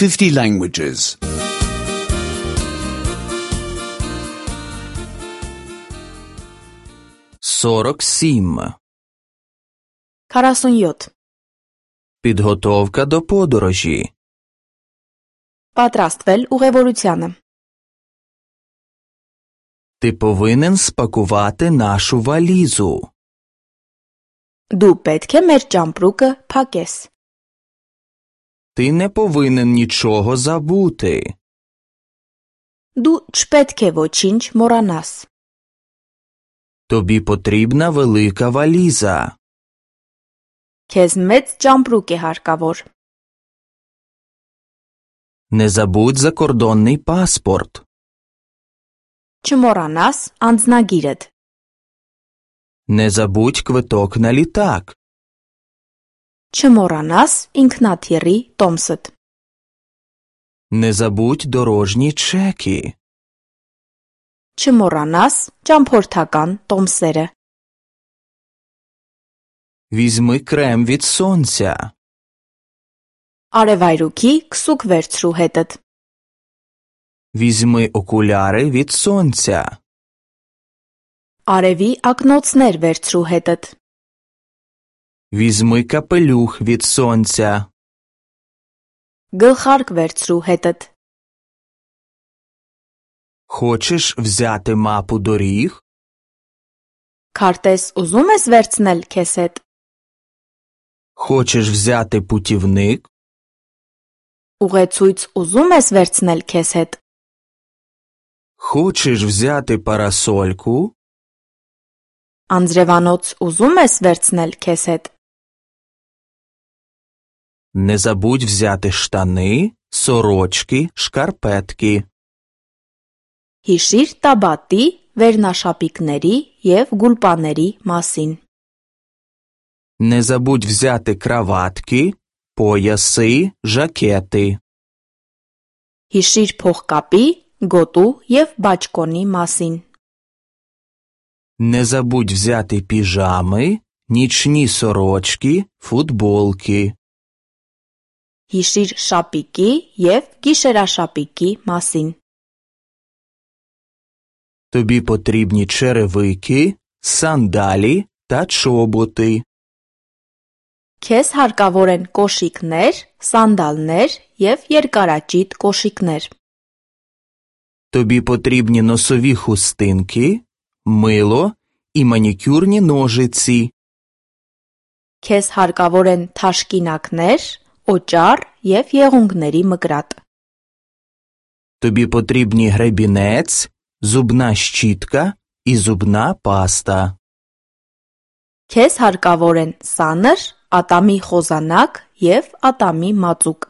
50 languages. 47. 47. Підготовка до подорожі. Պատրաստվել ուղևորությանը. Ти повинен спакувати нашу валізу. Դու պետք է մեր ճամպրուկը փակես. Ти не повинен нічого забути. Դու չպետք է ոչինչ մոռանաս. Тобі потрібна велика валіза. Քեզ մեծ ճամպրուկ է հարկավոր. Не забудь закордонний паспорт. Չմոռանաս անձնագիրդ. Не забудь квиток на літак. Չմոռանաս ինքնաթիռի տոմսդ. Не забудь дорожні чеки. Չմոռանաս ճամփորդական տոմսերը. Візьми крем від сонця. Արևայրուքի քսուկ վերցրու հետդ. Візьми окуляри від сонця. Արևի ակնոցներ վերցրու հետդ. Візьми капелюх від сонця. Գլխարկ վերցրու հետդ. Хочеш взяти мапу доріг? Քարտեզ ուզում ես վերցնել քեզ հետ. Хочеш взяти путівник? Ուղեցույց ուզում ես վերցնել քեզ հետ. Хочеш взяти парасольку? Անձրևանոց ուզում ես վերցնել քեզ հետ. Не забудь взяти штани, сорочки, шкарпетки. Հիշիր տաբատի, վերնաշապիկների և գուլպաների մասին. Не забудь взяти краватки, пояси, жакети. Հիշիր փողկապի, գոտու և բաճկոնի մասին. Не забудь взяти піжами, нічні сорочки, футболки. Հիշիր շապիկի և գիշերաշապիկի մասին. Тобі потрібні черевики, сандалі та чоботи. Քեզ հարկավոր են կոշիկներ, սանդալներ և երկարաճիտ կոշիկներ. Тобі потрібні носові хустинки, мило і манікюрні ножиці. Քեզ հարկավոր են թաշկինակներ, օճառ և եղունգների մկրատ. Тобі потрібні гребінець, зубна щітка і зубна паста. Քեզ հարկավոր են սանր, ատամի խոզանակ և ատամի մածուկ.